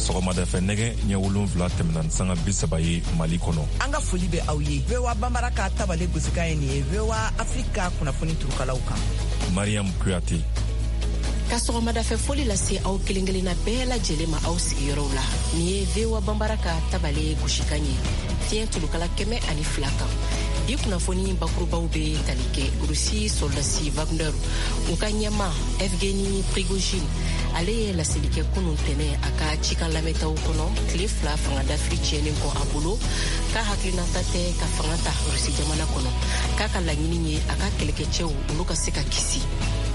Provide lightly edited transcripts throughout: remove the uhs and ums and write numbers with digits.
Sɔgɔmadafɛ nɛgɛ ɲɛ 7 tɛmɛna ni sanga 30 ye Mali kɔnɔ. An ka foli bɛ aw ye. VOA Banbara ka tabale gosikan ye nin ye VOA Afrika kunnafoni turukalaw kan. Mariam Kuyate. Ka sɔgɔmadafɛ foli lase aw kelen kelenna bɛɛ lajɛlen ma aw sigiyɔrɔw la. Nin ye VOA Banbara ka tabale gosikan ye fiɲɛ tulukala 102 kan. Bi kunnafoni bakurubaw bɛ tali kɛ Rusi sɔrɔdasi Wagner u ka ɲɛmaa Evgeny Prigojine, ale ye laseli kɛ kunun tɛnɛ a ka cikan lamɛntaw kɔnɔ tile 2 fanga dafiri tiɲɛnen kɔ a bolo, k'a hakilinata tɛ ka fanga ta Rusi jamana kɔnɔ, k'a ka laɲini ye a ka kɛlɛkɛcɛw olu ka se ka kisi.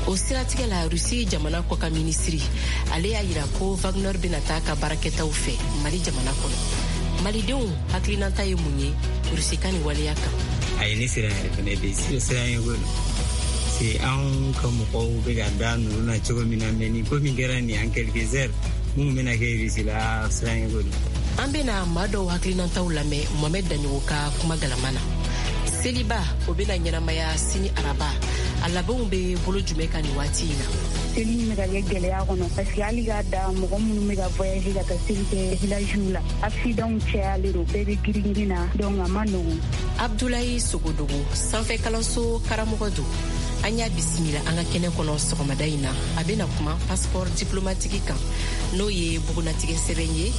O siratigɛ la, Rusi jamana kɔkan minisiri ale y'a yira ko Wagner bɛna taa ka baarakɛtaw fɛ Mali jamana kɔnɔ. Malidenw hakilinata ye mun ye Rusi ka nin waleya kan? A ye ne siran yɛrɛ fɛnɛ de siran ye ko se anw ka mɔgɔw bɛ ka da ninnu na cogo min na, mais nin ko min kɛra nin en quelques heures, mun bɛna kɛ Rusi la, siran ye ko don. An bɛna maa dɔw hakilinataw lamɛn Mohamed Daɲogo ka kuma galama na. Seliba o bɛna ɲɛnamaya sini araba, a labɛnw bɛ bolo jumɛn kan nin waati in na? Seli in bɛ ka kɛ gɛlɛya kɔnɔ parce que hali k'a da mɔgɔ minnu bɛ ka voyager ka taa seli kɛ villagew la, accident cayalen don, bɛɛ bɛ girin-girin na, donc a ma nɔgɔn. Abdulayi Sogodogo, sanfɛ kalanso karamɔgɔ don, an y'a bisimila an ka kɛnɛ kɔnɔ sɔgɔmada in na. A bɛna kuma passeport diplomatique kan, n'o ye bugunatigɛ sɛbɛn ye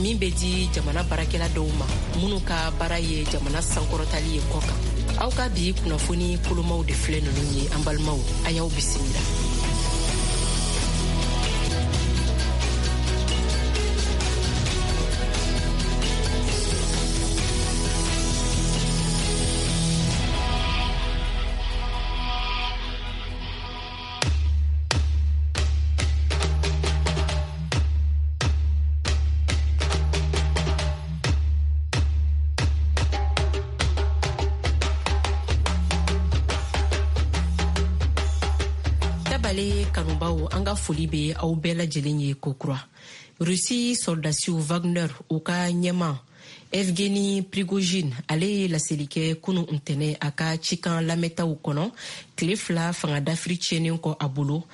min bɛ di jamana baarakɛla dɔw ma minnu ka baara ye jamana sankɔrɔtali ye kɔ kan. Aw ka bi kunnafoni kolomaw de filɛ ninnu ye, an balimaw, a y'aw bisimila. Tabale kanubaw, an ka foli bɛ aw bɛɛ lajɛlen ye kokura. Rusi sɔrɔdasiw Wagner u ka ɲɛmaa Evgeny Prigojine, ale ye laseli kɛ kunu ntɛnɛ a ka cikan lamɛntaw kɔnɔ tile 2 fanga dafiri tiɲɛnen kɔ a bolo,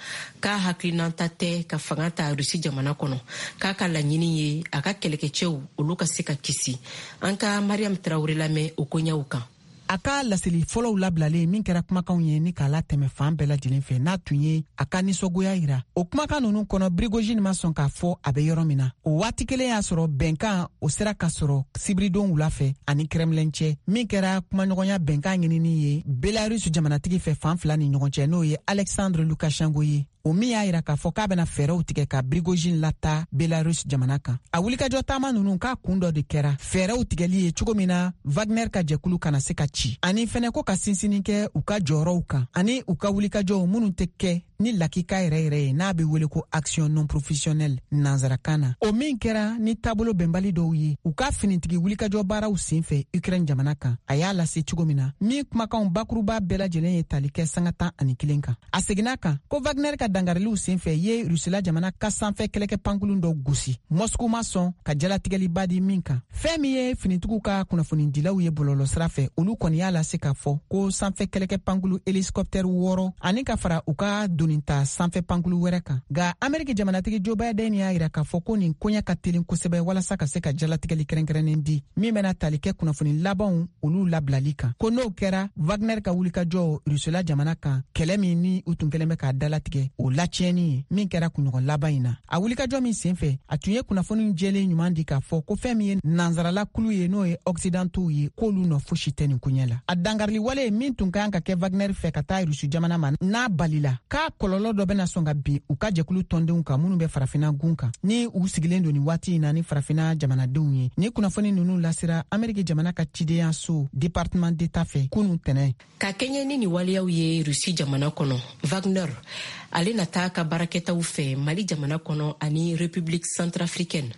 k'a hakilinata tɛ ka fanga ta Rusi jamana kɔnɔ, k'a ka laɲini ye a ka kɛlɛkɛcɛw olu ka se ka kisi. An ka Mariam Traoré lamɛn o koɲɛw kan. A ka laseli fɔlɔw labilalen min kɛra kumakanw ye ni k'a latɛmɛ fan bɛɛ lajɛlen fɛ, n'a tun ye a ka nisɔngoya yira o kumakan ninnu kɔnɔ, Prigojine ma sɔn k'a fɔ a bɛ yɔrɔ min na. O waati kelen y'a sɔrɔ bɛnkan o sera ka sɔrɔ sibiridon wula fɛ ani Kremlin cɛ, min kɛra kumaɲɔgɔnya bɛnkan ɲinini ye Belarus jamanatigi fɛ fan fila ni ɲɔgɔn cɛ, n'o ye Alexandre Lukashenko ye, o min y'a yira k'a fɔ k'a bɛna fɛɛrɛw tigɛ ka Prigojine lata Belarus jamana kan. A wulikajɔ taama ninnu k'a kun dɔ de kɛra fɛɛrɛw tigɛli ye cogo min na Wagner ka jɛkulu kana se ka ci, ani fɛnɛ ko ka sinsinni kɛ u ka jɔyɔrɔw kan ani u ka wulikajɔw minnu tɛ kɛ ni lakika yɛrɛ yɛrɛ ye, n'a bɛ wele ko action non professionnelle nansarakan na, o min kɛra ni taabolo bɛnbali dɔw ye u ka finitigi wulikajɔ baaraw sen fɛ Ukraine jamana kan. A y'a lase cogo min na, min kumakanw bakuruba bɛɛ lajɛlen ye tali kɛ sanga 11 kan, a seginna kan ko Wagner ka dangariliw senfɛ ye Rusila jamana ka sanfɛ kɛlɛkɛ pankulun dɔ gosi, Moscou ma sɔn ka jalatigɛliba di min kan. Fɛn min ye finitigiw ka kunnafonidilaw ye bɔlɔlɔsira fɛ, olu kɔni y'a lase k'a fɔ ko sanfɛ kɛlɛkɛ pankulu hélicoptère 6 ani ka fara u ka donita sanfɛ pankulu wɛrɛ kan. Nka Ameriki jamanatigi Joe Biden y'a yira k'a fɔ ko nin koɲɛ ka telin kosɛbɛ walasa ka se ka jalatigɛli kɛrɛnkɛrɛnnen di min bɛna tali kɛ kunnafoni labanw olu labilali kan, ko n'o kɛra Wagner ka wulikajɔ Rusila jamana kan, kɛlɛ min ni u tun kɛlen bɛ k'a dalatigɛ, o latiɲɛni ye min kɛra kunɲɔgɔn laban in na. A wulikajɔ min senfɛ, a tun ye kunnafoni jɛlen ɲuman di k'a fɔ ko fɛn min ye nansarala kulu ye, n'o ye occidentaux ye, k'olu nɔ fosi tɛ nin koɲɛ la. A dankarili wale min tun kan ka kɛ Wagner fɛ ka taa Rusi jamana ma, n'a balila, k'a kɔlɔlɔ dɔ bɛna sɔn ka bin u ka jɛkulu tɔndenw kan minnu bɛ farafina gun kan, ni u sigilen don nin waati in na ni farafina jamanadenw ye. Ni kunnafoni ninnu lasera Ameriki jamana ka cidenyaso département d'État fɛ kunu tɛnɛ. Ka kɛɲɛ ni nin waleyaw ye Rusi jamana kɔnɔ, Wagner ale na taa ka baarakɛtaw fɛ Mali jamana kɔnɔ ani République centrafricaine.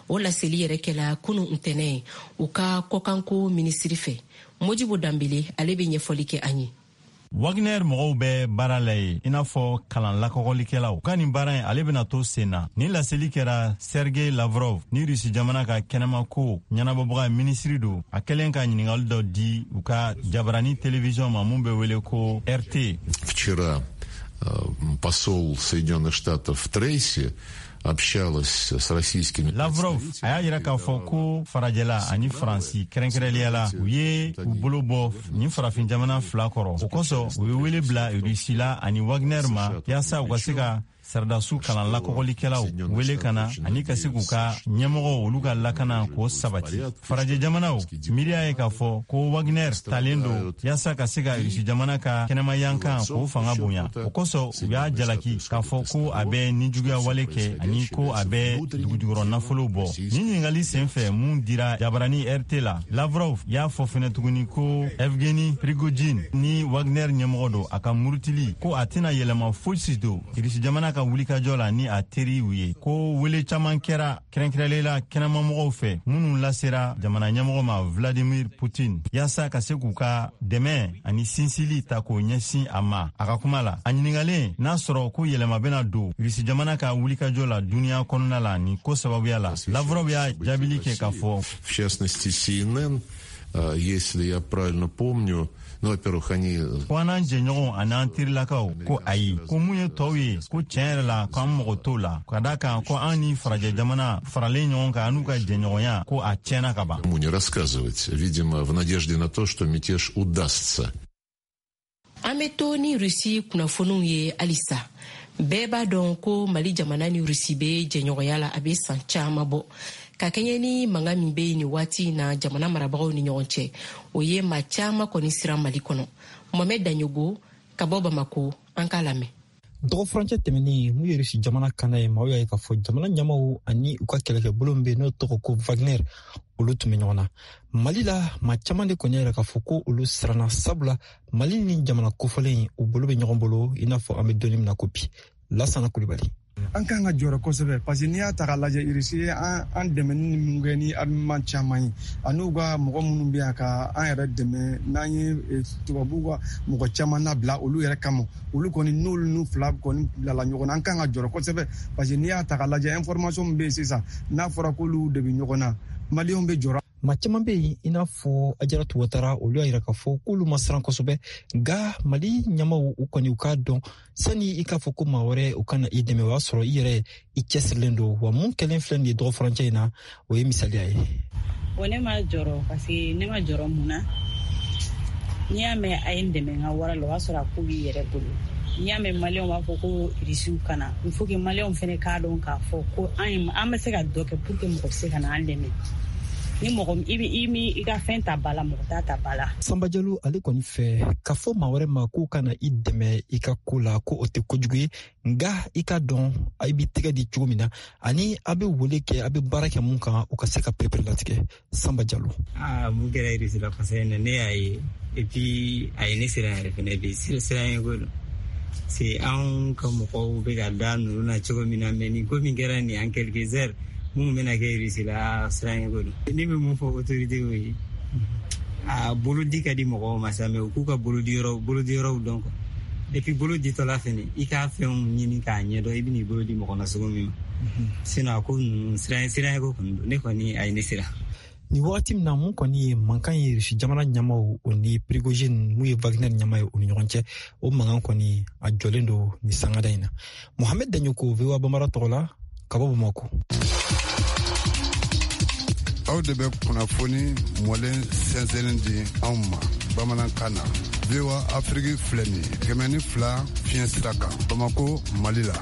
O laseli yɛrɛ kɛla kunu ntɛnɛ u ka kɔkanko minisiri fɛ. Modibo Danbele, ale bɛ ɲɛfɔli kɛ an ye. Wagner mɔgɔw bɛ baara la ye i n'a fɔ kalan lakɔgɔlikɛlaw ka nin baara in ale bɛna to sen na. Nin laseli kɛra Sergei Lavrov ni Rusi jamana ka kɛnɛmako ɲɛnabɔbaga minisiri don, a kɛlen ka ɲiningali dɔ di u ka jabarani télévision ma mun bɛ wele ko RT. Вчера посол Соединенных Штатов Трейси общалась с российскими. Lavrov a y'a yira k'a fɔ ko farajɛla ani Faransi kɛrɛnkɛrɛnliya la, u ye u bolo bɔ nin farafin jamana fila kɔrɔ. O kosɔn, u ye wele bila Rusila ani Wagner ma yaasa u ka se ka saradasiw kalan lakɔgɔlikɛlaw wele ka na ani ka se k'u ka ɲɛmɔgɔw, olu ka lakana k'o sabati. Farajɛ jamanaw miiriya ye k'a fɔ ko Wagner talen don yaasa ka se ka Rusi jamana ka kɛnɛmayankan k'o fanga bonya. O kosɔn, u y'a jalaki k'a fɔ ko a bɛ nijuguya wale kɛ ani ko a bɛ dugujukɔrɔ nafolo bɔ. Nin ɲininkali sen fɛ mun dira jabarani RT la, Lavrov y'a fɔ fɛnɛ tuguni ko Evgeni Prigojine ni Wagner ɲɛmɔgɔ don, a ka murutili ko a tɛna yɛlɛma fosi don Rusi jamana ka wulikajɔ la ni a teriw ye, ko wele caman kɛra kɛrɛnkɛrɛnlen kɛnɛmamɔgɔw fɛ minnu lasera jamana ɲɛmɔgɔ ma Vladimir Putin, yaasa ka se k'u ka dɛmɛ ani sinsili ta k'o ɲɛsin a ma. A ka kuma la, a ɲiningalen n'a sɔrɔ ko yɛlɛma bɛna don Rusi jamana ka wulikajɔ la duniɲa kɔnɔna la nin ko sababuya la, Lavrov y'a jaabili kɛ k'a fɔ: В частности, CNN, если я правильно помню, ну, во-первых, они. Ko an n'an jɛɲɔgɔnw ani an terilakaw ko ayi, ko mun ye tɔw ye, ko tiɲɛ yɛrɛ la ko an mago t'o la, ka da kan ko an ni farajɛ jamana faralen ɲɔgɔn kan, an n'u ka jɛɲɔgɔnya, ko a tiɲɛna ka ban. Не рассказывать, видимо, в надежде на то, что мятеж удастся. An bɛ to ni Rusi kunnafoniw ye halisa. Bɛɛ b'a dɔn ko Mali jamana ni Rusi bɛ jɛɲɔgɔnya la, a bɛ san caman bɔ. Ka kɛɲɛ ni mankan min bɛ yen nin waati in na jamana marabagaw ni ɲɔgɔn cɛ, o ye maa caman kɔni siran Mali kɔnɔ. Mohamɛd Daɲogo ka bɔ Bamako, an k'a lamɛn. Dɔgɔfurancɛ tɛmɛnen, mun ye Rusi jamana kana ye, maaw y'a ye k'a fɔ jamana ɲɛmaw ani u ka kɛlɛkɛbolo min bɛ n'o tɔgɔ ko Wagner, olu tun bɛ ɲɔgɔn na Mali la. Maa caman de kɔni y'a yira k'a fɔ ko olu siranna, sabula Mali ni jamana kofɔlen u bolo bɛ ɲɔgɔn bolo, i n'a fɔ an bɛ don min na ko bi. Lasana Kulibali. An kan ka jɔrɔ kosɛbɛ, parce que n'i y'a ta k'a lajɛ, Irisi ye an dɛmɛ ni mun kɛ ni armement caman ye, ani ka mɔgɔ minnu bɛ yan ka an yɛrɛ dɛmɛ, n'an ye tubabuw ka mɔgɔ caman labila olu yɛrɛ kama, olu kɔni n'olu n'u fila kɔni bilala ɲɔgɔn na, an kan ka jɔrɔ kosɛbɛ, parce que n'i y'a ta k'a lajɛ, information min bɛ yen sisan, n'a fɔra k'olu de bɛ ɲɔgɔn na, Maliyɛnw bɛ jɔrɔ. Maa caman bɛ yen, i n'a fɔ Ajaratu Watara, olu y'a yira k'a fɔ k'olu ma siran kosɛbɛ, nka Mali ɲɛmaw, u kɔni u k'a dɔn, sani i k'a fɔ ko maa wɛrɛ u kana i dɛmɛ, o y'a sɔrɔ i yɛrɛ i cɛsirilen don. Wa mun kɛlen filɛ nin ye dɔgɔ furancɛ in na, o ye misaliya ye. Bon, ne ma jɔrɔ, parce que ne ma jɔrɔ mun na? N'i y'a mɛn a ye n dɛmɛ n ka wara la, o y'a sɔrɔ a ko b'i yɛrɛ bolo. N'i y'a mɛn Maliyɛnw b'a fɔ ko Irisiw kana, il faut que Maliyɛnw fɛnɛ k'a dɔn k'a fɔ ko an bɛ se ka dɔ kɛ pour que mɔgɔ bɛ se ka na an dɛmɛ. Ni mɔgɔ i bɛ i mi i ka fɛn ta ba la, mɔgɔ t'a ta ba la. Sanba Jalo, ale kɔni fɛ k'a fɔ maa wɛrɛ ma k'o kana i dɛmɛ i ka ko la, ko o tɛ kojugu ye, nka i ka dɔn i b'i tɛgɛ di cogo min na ani a bɛ wele kɛ, a bɛ baara kɛ mun kan, o ka se ka perepere latigɛ. Sanba Jalo. Aa, mun kɛra Irisi la kosɛbɛ na, ne y'a ye, et puis a ye ne siran yɛrɛ fɛnɛ bi. Siran ye ko don, c'est anw ka mɔgɔw bɛ ka da ninnu na cogo min na, mais nin ko min kɛra nin en quelques heures, mun bɛna kɛ Irisi la, siran ye ko don. Ne bɛ mun fɔ autorité ye? A bolo di ka di mɔgɔw ma sa, mais u k'u ka bolodiyɔrɔw dɔn quoi. Et puis bolo ditɔla fɛnɛ, i k'a fɛnw ɲini k'a ɲɛdɔn, i bɛn'i bolo di mɔgɔ na cogo min ma. Sinon a ko ninnu, siran ye ko kɔni don, ne kɔni a ye ne siran. Nin wagati min na, mun kɔni ye mankan ye Rusi jamana ɲɛmaw o ni Prigojine, mun ye Wagner ɲɛma ye, o ni ɲɔgɔn cɛ, o mankan kɔni a jɔlen don nin sangada in na. Mohamed Daɲoko, VOA Bambara tɔgɔ la, ka bɔ Bamako. Aw de bɛ kunnafoni mɔlen sɛnsɛnnin di anw ma bamanankan na. VOA Afiriki filɛ nin ye, 102 fiɲɛ sira kan, Bamako, Mali la.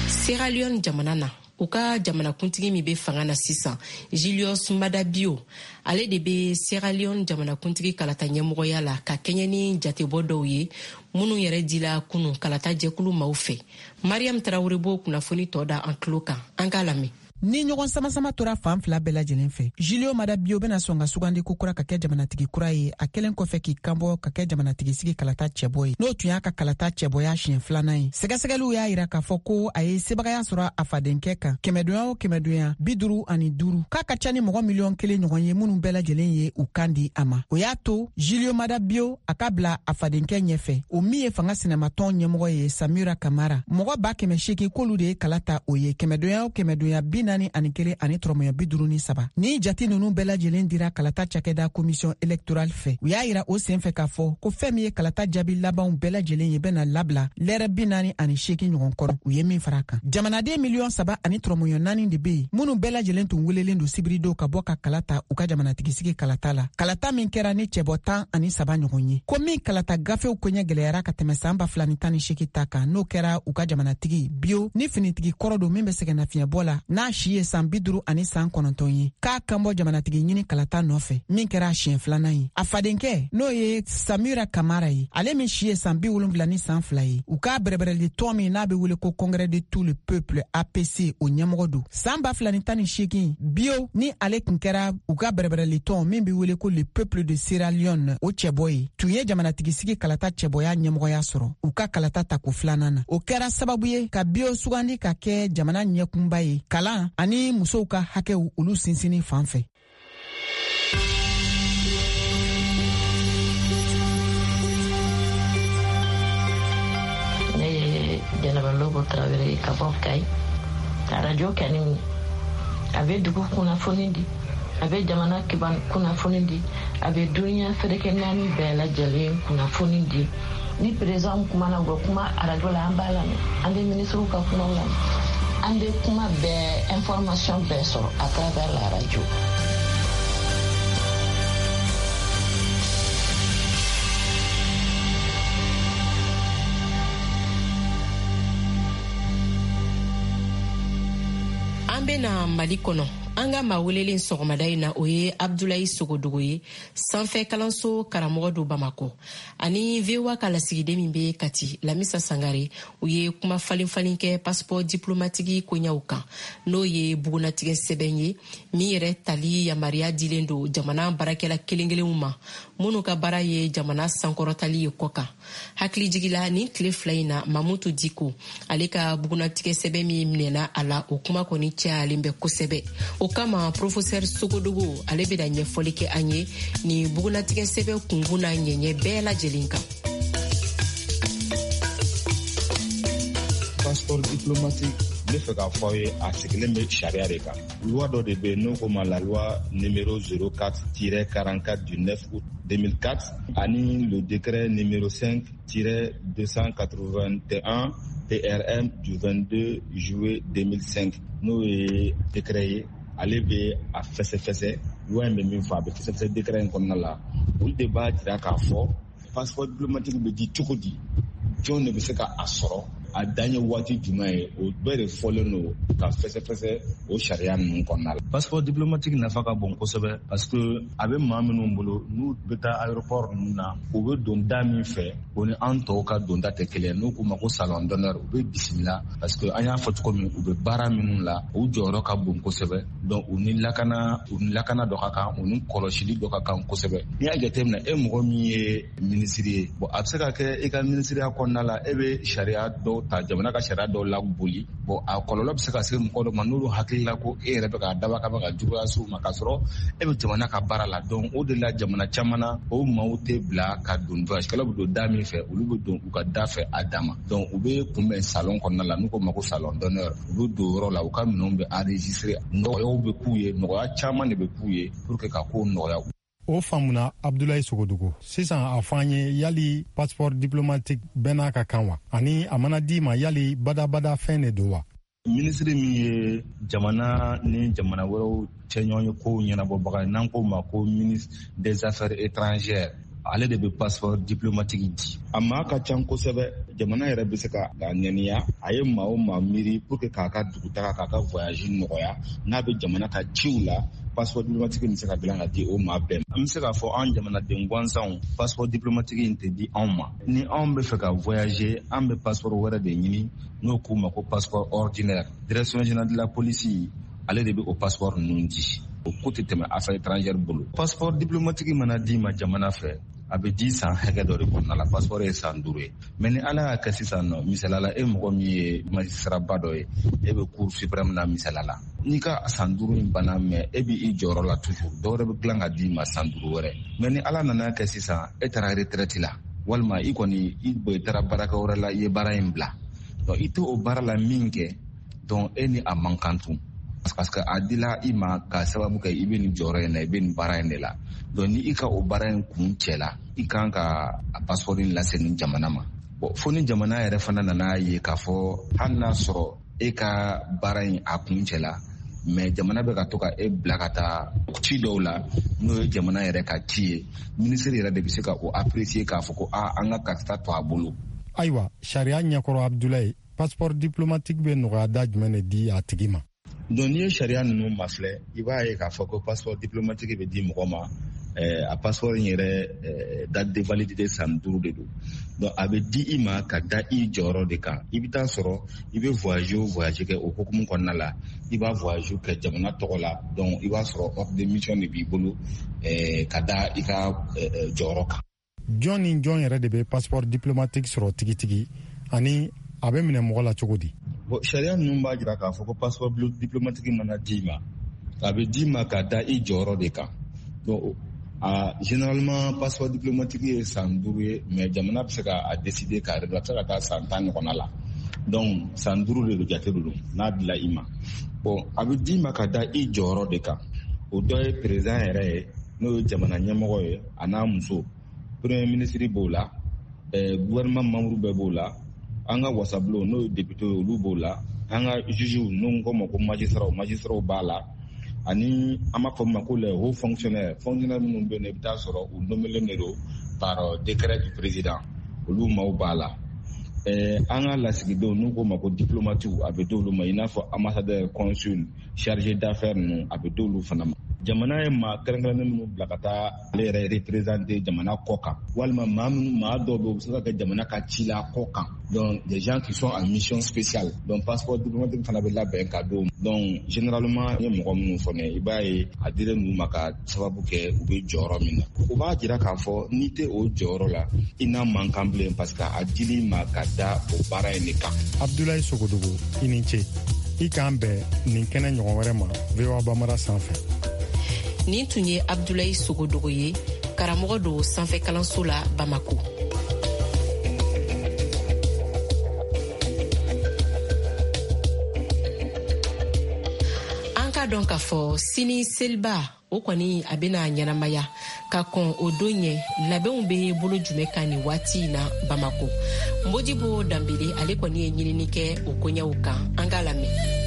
Sierra Leone jamana na, u ka jamanakuntigi min bɛ fanga na sisan, Julius Maada Bio, ale de bɛ Sierra Leone jamanakuntigi kalata ɲɛmɔgɔya la, ka kɛɲɛ ni jatebɔ dɔw ye minnu yɛrɛ dila kunu kalata jɛkulu maaw fɛ. Mariam Tarawele b'o kunnafoni tɔ da an tulo kan, an k'a lamɛn. Ni ɲɔgɔn samasama tora fan fila bɛɛ lajɛlen fɛ, Julio Mada Bio bena sɔn ka sugandi ko kura ka kɛ jamanatigi kura ye, a kɛlen kɔfɛ k'i kanbɔ ka kɛ jamanatigi sigi kalata cɛbɔ ye, n'o tun y'a ka kalata cɛbɔya siɲɛ filanan ye. Sɛgɛsɛgɛliw y'a yira k'a fɔ ko a ye sebagaya sɔrɔ a fadenkɛ kan kɛmɛdonya o kɛmɛdonya 55, k'a ka ca ni mɔgɔ miliyɔn 1 ɲɔgɔn ye minnu bɛɛ lajɛlen ye u kan di a ma. O y'a to Julio Mada Bio a ka bila a fadenkɛ ɲɛfɛ, o min ye fanga sinamatɔn ɲɛmɔgɔ ye, Samura Kamara. Mɔgɔ 800,000 k'olu de ye kala ta o ye, kɛmɛdonya o kɛmɛdonya bi 41 ani tɔrɔmɔɲɔ 53. Ni jati nunu bɛɛ lajɛlen dira kalata cakɛda Commission électorale fɛ, u y'a yira o sen fɛ k'a fɔ ko fɛn min ye kalata jaabi labanw bɛɛ lajɛlen ye, bɛna labila lɛrɛ 48 ɲɔgɔn kɔrɔ. U ye min fara kan, jamanaden miliyɔn 3 ani tɔrɔmɔɲɔ 4 de be yen, minnu bɛɛ lajɛlen tun welelen don sibiridon ka bɔ ka kala ta u ka jamanatigisigi kalata la, kalata min kɛra ni cɛbɔ 13 ɲɔgɔn ye, ko min kalata gafew koɲɛ gwɛlɛyara ka tɛmɛ saan 2018 ta kan, n'o kɛra u ka jamanatigi Bio ni finitigi kɔrɔ don min bɛ sɛgɛnnafiɲɛbɔ la, n'a si ye san 59 ye, k'a kanbɔ jamanatigi ɲini kalata nɔfɛ, min kɛra a siɲɛ filanan ye. A fadenkɛ, n'o ye Samura Kamara ye, ale min si ye san 72 ye, u k'a bɛrɛbɛrɛli tɔn min n'a bɛ wele ko Congrès de tout le peuple, APC, o ɲɛmɔgɔ don. Saan 2018, Bio ni ale tun kɛra u ka bɛrɛbɛrɛli tɔn min bɛ wele ko le Peuple de Sierra Leone, o cɛbɔ ye, tun ye jamanatigisigi kalata cɛbɔya ɲɛmɔgɔya sɔrɔ u ka kalata tako filanan na. O kɛra sababu ye ka Bio sugandi ka kɛ jamana ɲɛkunba ye, kalan ani musow ka hakɛw, olu sinsinni fan fɛ. Ne ye Jɛnɛba Lobo Tarawele ka bɔ Kayi. Arajo kɛni, a bɛ dugu kunnafoni di, a bɛ jamana kunnafoni di, a bɛ duniya seleke naani bɛɛ lajɛlen kunnafoni di. Ni président kumana, u bɛ kuma arajo la, an b'a lamɛn. An bɛ minisiriw ka kumaw lamɛn, an bɛ kuma bɛɛ, information bɛɛ sɔrɔ à travers la radio. An bena Mali kɔnɔ. An ka maa welelen sɔgɔmada in na, o ye Abdulayi Sogodogo ye, sanfɛ kalanso karamɔgɔ don Bamakɔ. Ani VOA ka lasigiden min be Kati, Lamisa Sangare, u ye kuma falen falen kɛ passeport diplomatique koɲaw kan, n'o ye bugunatigɛ sɛbɛn ye min yɛrɛ tali yamaruya dilen don jamana baarakɛla kelen kelenw ma, minnu ka baara ye jamana sankɔrɔtali ye kɔ kan. Hakilijigila, nin tile 2 in na, Mamutu Diko, ale ka bugunatigɛ sɛbɛn min minɛna a la, o kuma kɔni cayalen bɛ kosɛbɛ. O kama, professeur Sogodogo, ale bɛna ɲɛfɔli kɛ an ye nin bugunatigɛ sɛbɛn kunkun n'a ɲɛɲɛ bɛɛ lajɛlen kan. Passeport diplomatique, n bɛ fɛ k'a fɔ aw ye, a sigilen bɛ sariya de kan. Loi dɔ de bɛ yen n'o ko ma la loi numéro 04-44 du 9 août 2004 ani le décret numéro 5-281 PRM du 22 juillet 2005, n'o ye décret ye. Ale bɛ a fɛsɛfɛsɛ, loi in bɛ min fɔ, a bɛ fɛsɛfɛsɛ décret in kɔnɔna la. Olu de b'a jira k'a fɔ passeport diplomatique bɛ di cogo di, jɔn de bɛ se ka a sɔrɔ, a dan ye waati jumɛn ye. O bɛɛ de fɔlen don ka fɛsɛfɛsɛ o sariya ninnu kɔnɔna la. Passeport diplomatique nafa ka bon kosɛbɛ, parce que a bɛ maa minnu bolo, n'u bɛ taa aéroport ninnu na, u bɛ don da min fɛ, o ni an tɔw ka donda tɛ kelen. N'u k'u ma ko salon d'honneur, u bɛ bisimila, parce que an y'a fɔ cogo min, u bɛ baara minnu la, u jɔyɔrɔ ka bon kosɛbɛ. Donc u ni lakana dɔ ka kan, u ni kɔlɔsili dɔ ka kan kosɛbɛ. N'i y'a jateminɛ, e mɔgɔ min ye minisiri ye, bon, a bɛ se ka kɛ i ka minisiriya kɔnɔna la, e bɛ sariya dɔw ta, jamana ka sariya dɔw laboli. Bon, a kɔlɔlɔ bɛ se ka se mɔgɔ dɔ ma, n'olu hakili la ko e yɛrɛ bɛ k'a dabɔ kama ka juguya se u ma, k'a sɔrɔ e bɛ jamana ka baara la. Donc o de la, jamana caman na, o maaw tɛ bila ka don. Voyagekɛlaw bɛ don da min fɛ, olu bɛ don u ka da fɛ a dan ma. Donc u bɛ kunbɛn salon kɔnɔna la, n'u ko ma ko salon d'honneur. U bɛ don yɔrɔ la, u ka minɛnw bɛ enregistrer, nɔgɔyaw bɛ k'u ye, nɔgɔya caman de bɛ k'u ye pour que ka kow nɔgɔya. O faamuna, Abdulayi Sogodogo. Sisan a fɔ an ye, yali passeport diplomatique bɛɛ n'a ka kan wa? Ani a mana d'i ma, yali badabada fɛn de don wa? Minisiri min ye jamana ni jamana wɛrɛw cɛ ɲɔgɔn ye kow ɲɛnabɔbaga ye, n'an ko ma ko ministre des Affaires étrangères, ale de bɛ passeport diplomatique di. A maa ka ca kosɛbɛ. Jamana yɛrɛ bɛ se ka ŋaniya, a ye maa o maa miiri pour que k'a ka dugutaga, k'a ka voyage nɔgɔya, n'a bɛ jamana ka ciw la, passeport diplomatique bɛ se ka dilan ka di o maa bɛɛ ma. An bɛ se k'a fɔ an jamanaden gansanw, passeport diplomatique in tɛ di anw ma. Ni anw bɛ fɛ ka voyager, an bɛ passeport wɛrɛ de ɲini, n'o k'u ma ko passeport ordinaire. Direction générale de la police, ale de bɛ o passeport ninnu di. O ko tɛ tɛmɛ Affaires étrangères bolo. Passeport diplomatique mana d'i ma jamana fɛ, a bɛ di san hakɛ dɔ de kɔnɔna la. Passeport ye san 5 ye. Mais ni Ala y'a kɛ sisan nɔ, misalala, e mɔgɔ min ye magistrat ba dɔ ye, e bɛ Cour suprême na, misala la, n'i ka san 5 in banna, mais e b'i jɔyɔrɔ la toujours, dɔwɛrɛ bɛ dilan ka d'i ma san 5 wɛrɛ. Mais ni Ala nana kɛ sisan, e taara retraite la, walima i kɔni i bɔ, i taara baarakɛ wɛrɛ la, i ye baara in bila, donc i tɛ o baara la min kɛ, donc e ni a man kan tun. Parce que a dila i ma ka sababu kɛ i bɛ nin jɔyɔrɔ in na, i bɛ nin baara in de la. Donc ni i ka o baara in kun cɛ la, i kan ka a passeport in lase nin jamana ma. Bon, fo ni jamana yɛrɛ fana nana ye k'a fɔ hali n'a sɔrɔ e ka baara in a kun cɛ la, mais jamana bɛ ka to ka e bila ka taa ci dɔw la, n'o ye jamana yɛrɛ ka ci ye, minisiri yɛrɛ de bɛ se ka o apprécier k'a fɔ ko aa an ka karisa to a bolo. Ayiwa, sariya ɲɛkɔrɔ Abdulayi, passeport diplomatique bɛ nɔgɔya da jumɛn de di a tigi ma? Donc n'i ye sariya ninnu mafilɛ, i b'a ye k'a fɔ ko passeport diplomatique bɛ di mɔgɔ ma, a passeport in yɛrɛ date de validité san 5 de don. Donc a bɛ di i ma ka da i jɔyɔrɔ de kan. I bɛ taa sɔrɔ i bɛ voyage o voyage kɛ o hukumu kɔnɔna la, i b'a voyage kɛ jamana tɔgɔ la. Donc i b'a sɔrɔ ordre de mission de b'i bolo ka da i ka jɔyɔrɔ kan. Jɔn ni jɔn yɛrɛ de bɛ passeport diplomatique sɔrɔ tigitigi, ani a bɛ minɛ mɔgɔ la cogo di? Bon, sariya ninnu b'a jira k'a fɔ ko passeport diplomatique mana d'i ma, a bɛ d'i ma ka da i jɔyɔrɔ de kan. Donc généralement passeport diplomatique ye san 5 ye, mais jamana bɛ se ka a décider k'a réduire, a bɛ se ka taa san 10 ɲɔgɔnna la. Donc san 5 de don, jate de don n'a dila i ma. Bon, a bɛ d'i ma ka da i jɔyɔrɔ de kan. O dɔ ye président yɛrɛ ye, n'o ye jamana ɲɛmɔgɔ ye, a n'a muso, premier ministre b'o la, gouvernement membre bɛɛ b'o la, an ka wasabulon n'o ye député ye, olu b'o la, an ka juges n'o ko ma ko magistrats b'a la, ani an b'a fɔ min ma ko les hauts fonctionnaires, fonctionnaires minnu bɛ yen, i bɛ taa sɔrɔ u nommelen de don par décret du président, olu maaw b'a la. An ka lasigidenw n'u ko ma ko diplomatiw, a bɛ d'olu ma, i n'a fɔ ambassadeur, consul, chargé d'affaires ninnu, a bɛ d'olu fana ma. Jamana ye maa kɛrɛnkɛrɛnnen minnu bila ka taa ale yɛrɛ représenter jamana kɔ kan, walima maa minnu, maa dɔw bɛ yen, u bɛ se ka kɛ jamana ka ci la kɔ kan. Donc des gens qui sont en mission spéciale. Donc passeport diplomatique fana bɛ labɛn ka d'o ma. Donc généralement n ye mɔgɔ minnu fɔ ne ye, i b'a ye a dilen d'u ma ka sababu kɛ u bɛ jɔyɔrɔ min na. O b'a jira k'a fɔ n'i tɛ o jɔyɔrɔ la, i n'a man kan bilen, parce que a dil'i ma ka da o baara in de kan. Abdulayi Sogodogo, i ni ce. I k'an bɛn nin kɛnɛ ɲɔgɔn wɛrɛ ma VOA Bambara sanfɛ. Nin tun ye Abdulayi Sogodogo ye, karamɔgɔ don sanfɛ kalanso la Bamako. An k'a dɔn k'a fɔ sini seliba o kɔni a bɛna ɲɛnamaya. Ka kɔn o don ɲɛ, labɛnw bɛ bolo jumɛn kan nin waati in na Bamako? Modibo Danbele ale kɔni ye ɲinini kɛ o koɲɛw kan, an k'a lamɛn.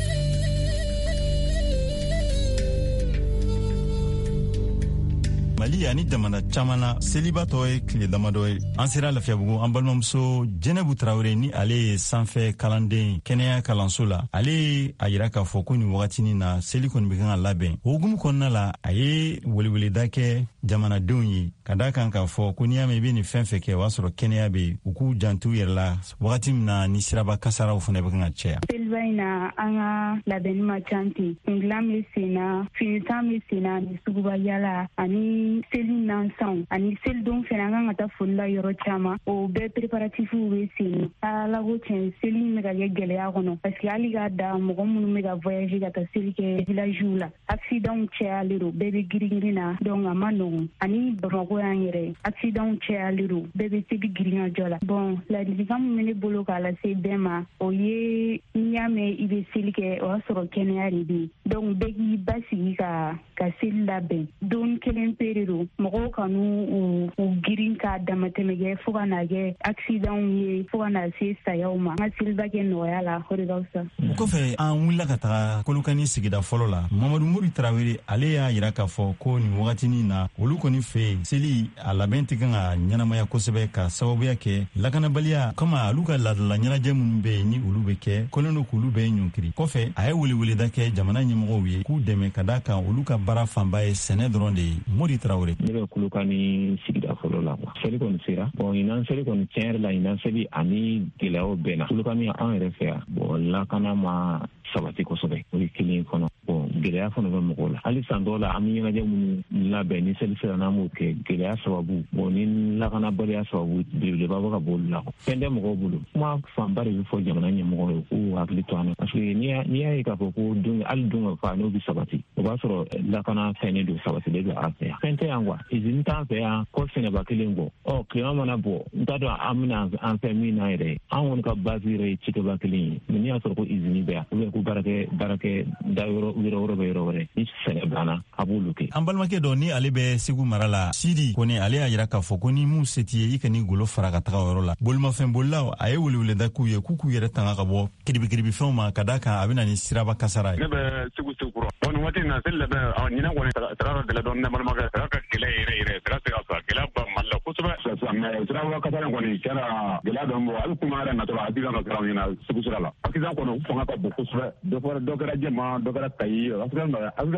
Mali ani jamana caman na, seliba tɔ ye tile damadɔ ye. An sera Lafiyabugu, an balimamuso Jɛnɛbu Tarawele, ni ale ye sanfɛ kalanden kɛnɛya kalanso la, ale ye a yira k'a fɔ ko nin wagatinin na seli kɔni bɛ kan ka labɛn. O hukumu kɔnɔna la, a ye weleweleda kɛ jamanadenw ye ka da kan k'a fɔ ko n'i y'a mɛn i bɛ nin fɛn fɛn kɛ, o y'a sɔrɔ kɛnɛya bɛ yen, u k'u janto u yɛrɛ la wagati min na ni siraba kasaraw fana bɛ kan ka caya. Seliba in na, an ka labɛnni ma ca ten. Kundilan bɛ sen na, finisan bɛ sen na, ani suguba yala, ani seli nansanw, ani selidon fana an kan ka taa foli la yɔrɔ caman. O bɛɛ préparatifs bɛ sen na. Ala ko tiɲɛ, seli in bɛ ka kɛ gɛlɛya kɔnɔ, parce que hali k'a da mɔgɔ minnu bɛ ka voyager ka taa seli kɛ villagew la, accident cayalen don, bɛɛ bɛ girin-girin na, donc a ma nɔgɔn. Ani Bamakɔ yan yɛrɛ, accident cayalen don, bɛɛ bɛ seli girin-ka jɔ la. Bon, ladilikan min bɛ ne bolo k'a lase bɛɛ ma, o ye n'i y'a mɛn i bɛ seli kɛ, o y'a sɔrɔ kɛnɛya de bɛ yen. Donc bɛɛ k'i basigi ka seli labɛn. Don kelen pe de don, mɔgɔw kan'u u girin k'a damatɛmɛ kɛ fo ka na kɛ accident ye, fo ka na se sayaw ma. An ka seliba kɛ nɔgɔya la, o de ka fisa. O kɔfɛ, an wulila ka taga Kolokani sigida fɔlɔ la. Mamadu Mori Tarawele, ale y'a yira k'a fɔ ko nin wagatinin na, olu kɔni fɛ yen, seli a labɛn tɛ kan ka ɲɛnamaya kosɛbɛ ka sababuya kɛ lakanabaliya kama. Olu ka laadala ɲɛnajɛ minnu bɛ yen, ni olu bɛ kɛ, kɔlen don k'olu bɛɛ ɲɔnkiri. Kɔfɛ, a ye weleweleda kɛ jamana ɲɛmɔgɔw ye k'u dɛmɛ ka da kan olu ka baara fanba ye sɛnɛ dɔrɔn de ye. Mori Tarawele. Ne bɛ Kolokani sigida fɔlɔ la. Seli kɔni sera. Bon, ɲinan seli kɔni, tiɲɛ yɛrɛ la, ɲinan seli ani gɛlɛyaw bɛɛ na Kolokani an yɛrɛ fɛ yan. Bon, lakana ma sabati kosɛbɛ, o ye kelen kɔnɔ. Bon, gɛlɛya fana bɛ mɔgɔw la. Hali san dɔw la, an bɛ ɲɛnajɛ minnu labɛn ni seli sera, n'an b'o kɛ, gɛlɛya sababu, bon, ni lakanabaliya sababu belebeleba bɛ ka bɔ olu la. Fɛn tɛ mɔgɔw bolo. Kuma fanba de bɛ fɔ jamana ɲɛmɔgɔw ye k'u hakili to an na, parce que n'i y'a ye k'a fɔ ko don, hali don ka fa n'o bɛ sabati, O b'a sɔrɔ lakana fɛnnen don, sabatilen don an fɛ yan. Fɛn tɛ yan quoi, izini t'an fɛ yan ko sɛnɛba kelen kɔ. Ɔ tilema mana bɔ, n t'a dɔn an bɛna an fɛn min na yɛrɛ. An kɔni ka base yɛrɛ ye cikɛba kelen ye, mais n'i y'a sɔrɔ ko izini bɛ yan ou bien ko baarakɛ da yɔrɔ wɛrɛ bɛ yɔrɔ wɛrɛ, ni sɛnɛ banna a b'olu kɛ. An balimakɛ dɔ ni ale bɛ Segu mara la, Sidi Kone, ale y'a yira k'a fɔ ko ni mun se t'i ye, i kan'i golo fara ka taga o yɔrɔ la. Bolimafɛn bolilaw, a ye weleweleda k'u ye k'u k'u yɛrɛ tanga ka bɔ kiribikiribifɛnw ma, ka da kan a bɛ na ni siraba kasara ye. Ne bɛ Segu Sekura. Bon, nin waati in na, seli labɛn, ɲinan kɔni saga ka gɛlɛn dɔɔnin, ne balimakɛ. Saga ka gɛlɛn yɛrɛ yɛrɛ, saga tɛ ka sɔrɔ, gɛlɛya ba Mali la kosɛbɛ. Mais siraba kasara in kɔni tiɲɛ na, gɛlɛya dɔɔnin bɔ. Hali kuma yɛrɛ natɔ la, accident dɔ kɛra anw ɲɛna Segu sira la. Accident kɔni fanga ka bon kosɛbɛ. Dɔ fɔra, dɔ kɛra Jɛma, dɔ kɛra Kayi. Accident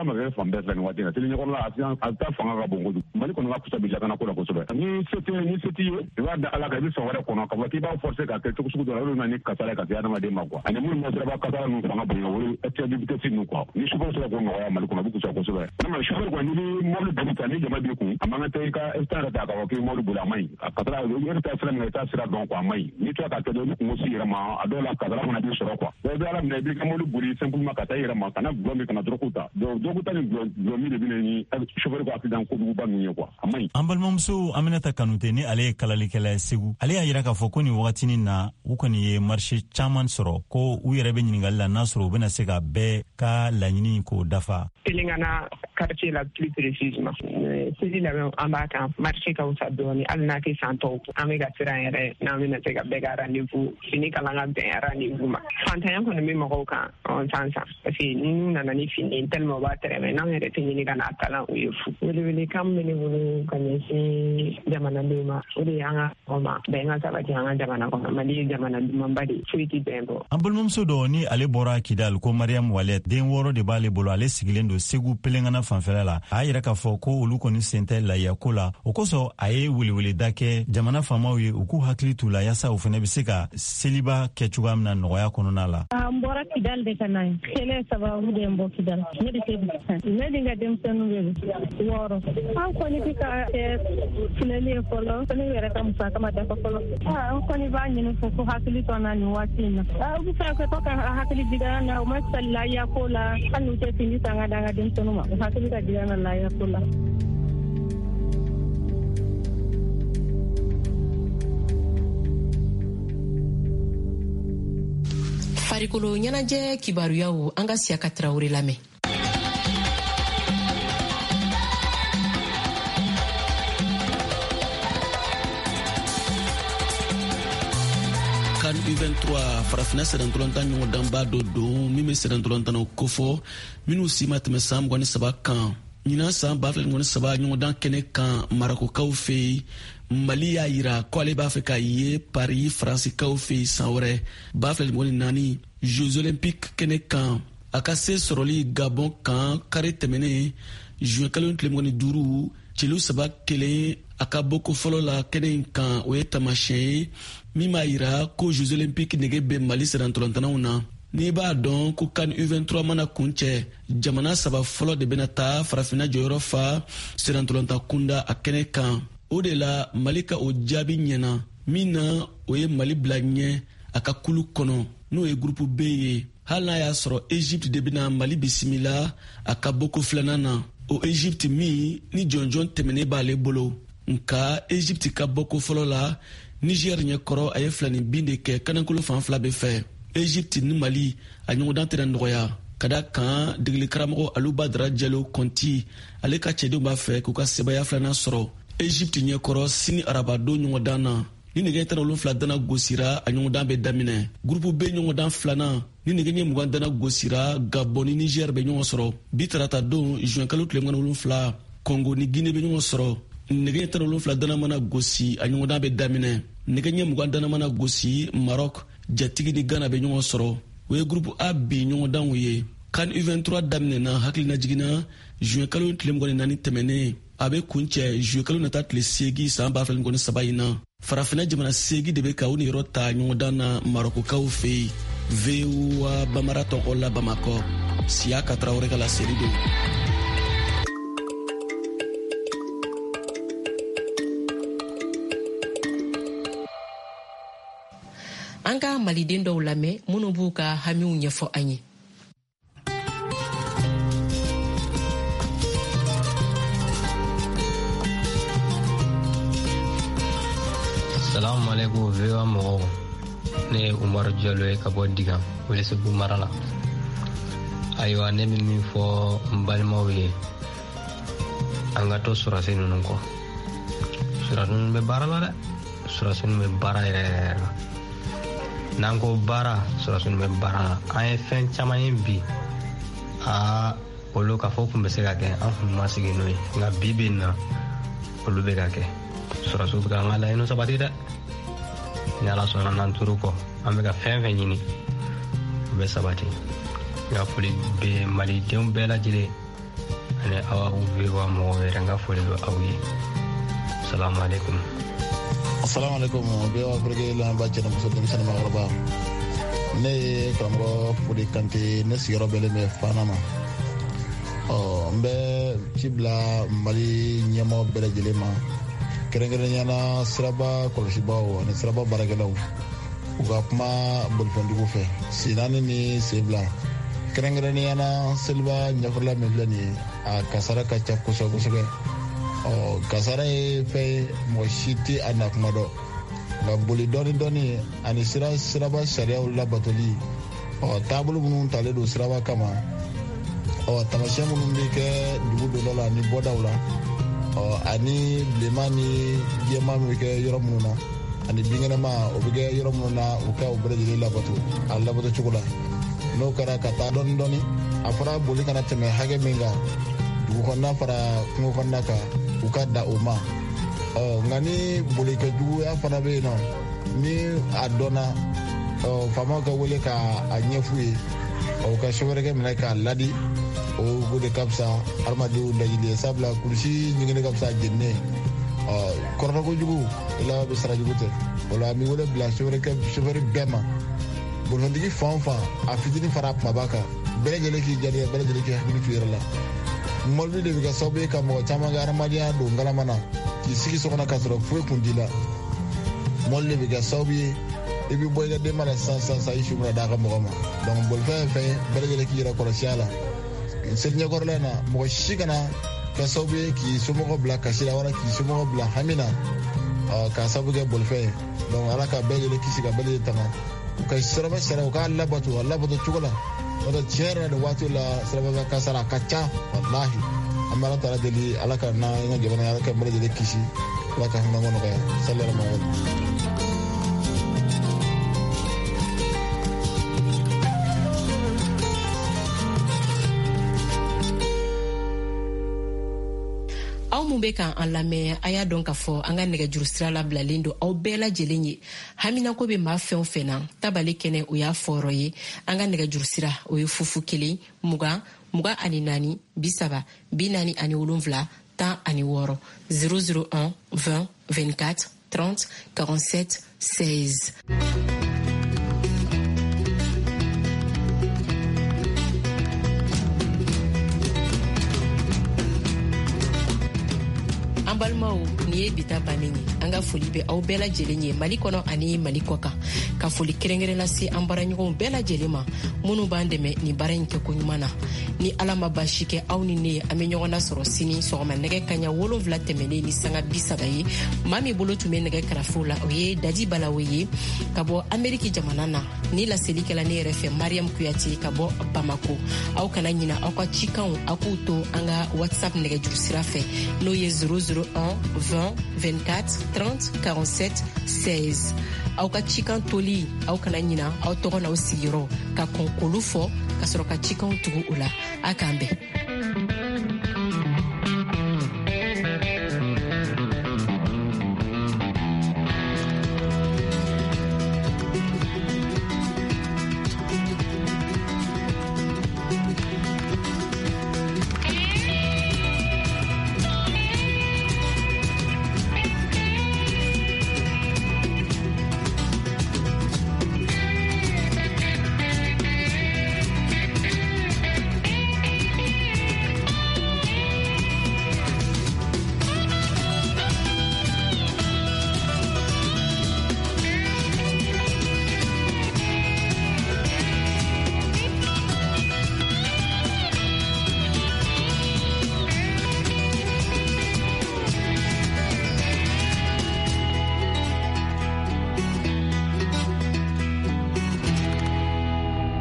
ma kɛ fan bɛɛ fɛ nin waati in na. Seli ɲɛkɔrɔla accident a ta fanga ka bon kojugu. Mali kɔni ka fisa bi lakana ko la kosɛbɛ. Ni se tɛ, ni se t'i ye, i b'a da Ala kan, i bɛ sɔn wɛrɛ kɔnɔ k'a fɔ k'i b'a forcer ka kɛ cogo sugu dɔ la, o de bɛ na ni kasara ye ka se adamaden ma quoi. Ani minnu bɛ siraba kasara ninnu fanga bonya, o ye excès de vitesse ninnu quoi. Ni chauffeur sera k'o nɔgɔya Mali kɔnɔ, a bɛ fisaya kosɛbɛ. Vraiment chauffeur kɔni, n'i bɛ mobili boli ta, ni jama b'i kun, a man kan tɛ i ka instant yɛrɛ ta k'a fɔ k'i bɛ mobili boli, a man ɲi. A kasara, i yɛrɛ taa sira min kan, i t'a sira dɔn quoi, a man ɲi. N'i tora k'a kɛ dɔrɔn, i bɛ kungo s'i yɛrɛ ma, a dɔw la kasara fana b'i sɔrɔ quoi. Donc i bɛ Ala minɛ, i b'i ka mobili boli simplement ka taa i yɛrɛ ma, kana gulɔ min, kana drogue ta. Donc drogue ta ni gulɔ min de bɛ na ni chauffeur ka accident kojuguba ninnu ye quoi, a man ɲi. An balimamuso Aminata Kanute, ni ale ye kalalikɛla ye Segu, ale y'a yira k'a fɔ ko nin wagatinin na, u kɔni ye marché caman sɔrɔ, ko u yɛrɛ bɛ ɲininkali la n'a sɔrɔ u bɛna se ka bɛɛ ka laɲini k'o dafa. Pelengana quartier la plus précisément. Seli labɛn an b'a kan, marché ka wusa dɔɔni, hali n'a tɛ san tɔw. An bɛ ka siran yɛrɛ n'an bɛna se ka bɛɛ ka rendez-vous fini kalan ka bɛn rendez-vous ma. Fantanya kɔni bɛ mɔgɔw kan san san, parce que n'u nana ni fini tellement u b'a tɛrɛmɛ, n'anw yɛrɛ tɛ ɲini ka n'a kalan u ye fu. Welewelekan min bɛ ne bolo ka ɲɛsin jamanadenw ma, o de ye an ka ɲɔgɔn ma bɛn ka sabati an ka jamana kɔnɔ. Mali ye jamana dumanba de ye, foyi tɛ bɛn bɔ. An balimamuso dɔ ni ale bɔra Kidal, ko Mariam Wallet, den 6 de b'ale bolo, ale sigilen don Segu Pelengana fanfɛla la. A y'a yira k'a fɔ ko olu kɔni sen tɛ layiya ko la, o kosɔn a ye weleweleda kɛ jamana faamaw ye u k'u hakili t'u la yaasa u fɛnɛ bɛ se ka seliba kɛ cogoya min na nɔgɔya kɔnɔna la. An bɔra Kidal de ka na ye, kɛlɛ sababu de n bɔ Kidal. Ne bɛ Segu, ne ni n ka denmisɛnninw bɛ 6. An kɔni bɛ ka kɛ filɛli ye fɔlɔ, ne yɛrɛ ka musaka ma dafa fɔlɔ. An kɔni b'a ɲini fo ko hakili to an na nin waati in na. U bɛ fɛ ka to ka hakili jigin an na, u ma sali layiya ko la, hali n'u tɛ fini san ka d'an ka denmisɛnninw ma, u hakili ka jigin an na layiya ko la. Farikolo ɲɛnajɛ kibaruyaw, an ka Siyaka Tarawele lamɛn. CAN U23 farafinna sennantolatan ɲɔgɔndanba dɔ don min bɛ sennantolatannaw kofɔ minnu si ma tɛmɛ san 23 kan. Ɲinan san 2023 ɲɔgɔndan kɛnɛ kan Marokokaw fɛ yen, Mali y'a yira ko ale b'a fɛ ka ye Paris Faransikaw fɛ yen san wɛrɛ 2024 Jeux olympiques kɛnɛ kan. A ka se sɔrɔli Gabon kan kari tɛmɛnen juin kalo tile 25 celu 3-1 a ka bɔko fɔlɔ la kɛnɛ in kan, o ye taamasiyɛn ye min b'a yira ko Jeux olympiques nege bɛ Mali sennantolatannaw na. N'i b'a dɔn ko CAN U23 mana kuncɛ, jamana 3 fɔlɔ de bɛna taa farafinna jɔyɔrɔ fa sennantolatan kunda a kɛnɛ kan. O de la Mali ka o jaabi ɲɛna min na, o ye Mali bila ɲɛ a ka kulu kɔnɔ, n'o ye groupe B ye, hali n'a y'a sɔrɔ Egypte de bɛna Mali bisimila a ka bɔko filanan na. O Egypte min ni jɔnjɔn tɛmɛnen b'ale bolo, nka Egypte ka bɔko fɔlɔ la Niger ɲɛkɔrɔ, a ye filanin bin de kɛ kanankolo fan fila bɛɛ fɛ. Egypte ni Mali a ɲɔgɔndan tɛna nɔgɔya, ka da kan degeli karamɔgɔ Alu Badara Jalo Kɔnti, ale ka cɛdenw b'a fɛ k'u ka sebaya filanan sɔrɔ Egypte ɲɛkɔrɔ sini arabadon ɲɔgɔndan na. Ni nɛgɛ 17 dana gosira, a ɲɔgɔndan bɛ daminɛ. Groupe B ɲɔgɔndan filanan, ni nɛgɛ ɲɛ 20 dana gosira, Gabon ni Niger bɛ ɲɔgɔn sɔrɔ. Bi tarata don juin kalo tile 27, Congo ni Guinée bɛ ɲɔgɔn sɔrɔ. Nɛgɛ ɲɛ 17 dana mana gosi, a ɲɔgɔndan bɛ daminɛ. Nɛgɛ ɲɛ 20 dana mana gosi, Maroc jatigi ni Ghana bɛ ɲɔgɔn sɔrɔ. O ye groupe A bi ɲɔgɔndanw ye. CAN U23 daminɛna hakilina jiginna juin kalo tile 24 tɛmɛnen, a bɛ kuncɛ juin kalo nata tile 8 san 2023 in na. Farafinna jamana 8 de bɛ ka u niyɔrɔ ta ɲɔgɔndan na Marokokaw fɛ yen. VOA Bamara tɔgɔ la Bamakɔ, Siyaka Tarawele ka laseli don. An ka maliden dɔw lamɛn minnu b'u ka hamiw ɲɛfɔ an ye. Salamu alaikum VOA mɔgɔw, ne ye Umaru Jalo ye ka bɔ Digan, Welesebugu mara la. Ayiwa, ne bɛ min fɔ n balimaw ye, an ka to sɔrɔdasi ninnu kɔ. Sɔrɔdasi ninnu bɛ baara la dɛ, sɔrɔdasi ninnu bɛ baara yɛrɛ yɛrɛ la. N'an ko baara, sɔrɔdasi ninnu bɛ baara la. An ye fɛn caman ye bi, aa olu k'a fɔ kun bɛ se ka kɛ, an kun ma sigi n'o ye, nka bi bi in na olu bɛ ka kɛ. Sɔrɔdasiw bɛ ka an ka laɲiniw sabati dɛ. Ni Ala sɔnna, n'an tor'u kɔ, an bɛ ka fɛn fɛn ɲini, o bɛ sabati. N ka foli bɛ malidenw bɛɛ lajɛlen ani aw VOA mɔgɔw yɛrɛ, n ka foli bɛ aw ye. Salamu alaikum. Assalamu alaikum VOA Afrique lamɛnbaa cɛ ni muso, denmisɛnnin, maakɔrɔba. Ne ye karamɔgɔ Fode Kante, ne sigiyɔrɔ bɛnnen bɛ Fana ma. Ɔ n bɛ ci bila Mali ɲɛmɔgɔ bɛɛ lajɛlen ma, kɛrɛnkɛrɛnnenya la siraba kɔlɔsibaaw ani siraba baarakɛlaw, u ka kuma bolifɛntigiw fɛ, sen naani ni sen fila, kɛrɛnkɛrɛnnenya la seliba ɲɛfɔla min filɛ nin ye, a kasara ka ca kosɛbɛ kosɛbɛ. Ɔ kasara ye fɛn ye, mɔgɔ si tɛ a na kuma dɔn, nka boli dɔɔni dɔɔni ani siraba sariyaw labatoli, ɔ taabolo minnu talen don siraba kama, ɔ tamasiyɛn minnu bɛ kɛ dugu donda la ani bɔdaw la, ɔ ani bilenman ni jɛman bɛ kɛ yɔrɔ minnu na, ani binkɛnɛma o bɛ kɛ yɔrɔ minnu na, u ka o bɛɛ lajɛlen labato a labato cogo la. N'o kɛra ka taa dɔɔni dɔɔni, a fɔra boli kana tɛmɛ hakɛ min kan dugu kɔnɔna fara kungo kɔnɔna kan, u ka da o ma. Ɔ nka ni bolikɛjuguya fana bɛ yen nɔ, ni a dɔnna, ɔ faamaw ka wele ka a ɲɛf'u ye, ɔ u ka sofɛrikɛ minɛ k'a ladi, o de ka fisa hadamadenw lajili ye, sabula kulusi ɲigini ka fisa jeninen. Ɔ kɔrɔfɔ kojugu i laban bɛ sara jugu tɛ. O la an bɛ wele bila sofɛri bɛɛ ma, bolifɛntigi fan o fan, a fitinin fara a kumaba kan, bɛɛ lajɛlen k'i jadiya, bɛɛ lajɛlen k'i hakili to i yɛrɛ la. Mɔbili de bɛ kɛ sababu ye ka mɔgɔ caman ka hadamadenya don ngalama na, k'i sigi so kɔnɔ k'a sɔrɔ foyi kun t'i la. Mɔbili de bɛ kɛ sababu ye i bɛ bɔ i ka denba la sisan sisan sisan, i su bɛna d'a ka mɔgɔ ma. Donc bolifɛn ye fɛn ye, bɛɛ lajɛlen k'i yɛrɛ kɔlɔsi a la. Seli ɲɛkɔrɔla in na, mɔgɔ si kana kɛ sababu ye k'i somɔgɔw bila kasi la wala k'i somɔgɔw bila hami na k'a sababu kɛ bolifɛn ye. Donc Ala ka bɛɛ lajɛlen kisi, ka bɛɛ lajɛlen tanga, u ka siraba sariya u k'a labato a labato cogo la. N'o tɛ, tiɲɛ yɛrɛ la, nin waati la siraba ka kasara a ka ca walahi. An bɛ Ala taala deli, Ala ka n'an ka jamana, Ala ka bɛɛ lajɛlen kisi, Ala ka hinɛ nɔgɔya. Sallallahu alaihi wa sallam. Aw mun bɛ kan an lamɛn, a y'a dɔn k'a fɔ an ka nɛgɛjuru sira labilalen don aw bɛɛ lajɛlen ye. Haminako bɛ maa fɛn o fɛn na, tabale kɛnɛ o y'a fɔyɔrɔ ye. An ka nɛgɛjuru sira o ye 0 1 20 24 30 47 16, 001 20 24 30 47 16. An balimaw, nin ye bi ta bannen ye. An ka foli bɛ aw bɛɛ lajɛlen ye Mali kɔnɔ ani Mali kɔ kan, ka foli kɛrɛnkɛrɛn lase an baaraɲɔgɔnw bɛɛ lajɛlen ma minnu b'an dɛmɛ nin baara in kɛko ɲuman na. Ni Ala ma baasi kɛ aw ni ne ye, an bɛ ɲɔgɔn nasɔrɔ sini sɔgɔma nɛgɛ kaɲa 7 tɛmɛnen ni sanga 30 ye. Maa min bolo tun bɛ nɛgɛ karafew la, o ye Dadi Balawe ye ka bɔ Ameriki jamana na. Ni laseli kɛla ne yɛrɛ fɛ, Mariam Kuyate ka bɔ Bamako. Aw kana ɲina aw ka cikanw, aw k'u to an ka WhatsApp nɛgɛjuru sira fɛ, n'o ye 001 20 24 30 47 16. Aw ka cikan toli, aw kana ɲina aw tɔgɔ n'aw sigiyɔrɔ ka kɔn k'olu fɔ ka sɔrɔ ka cikanw tugu o la. A k'an bɛn.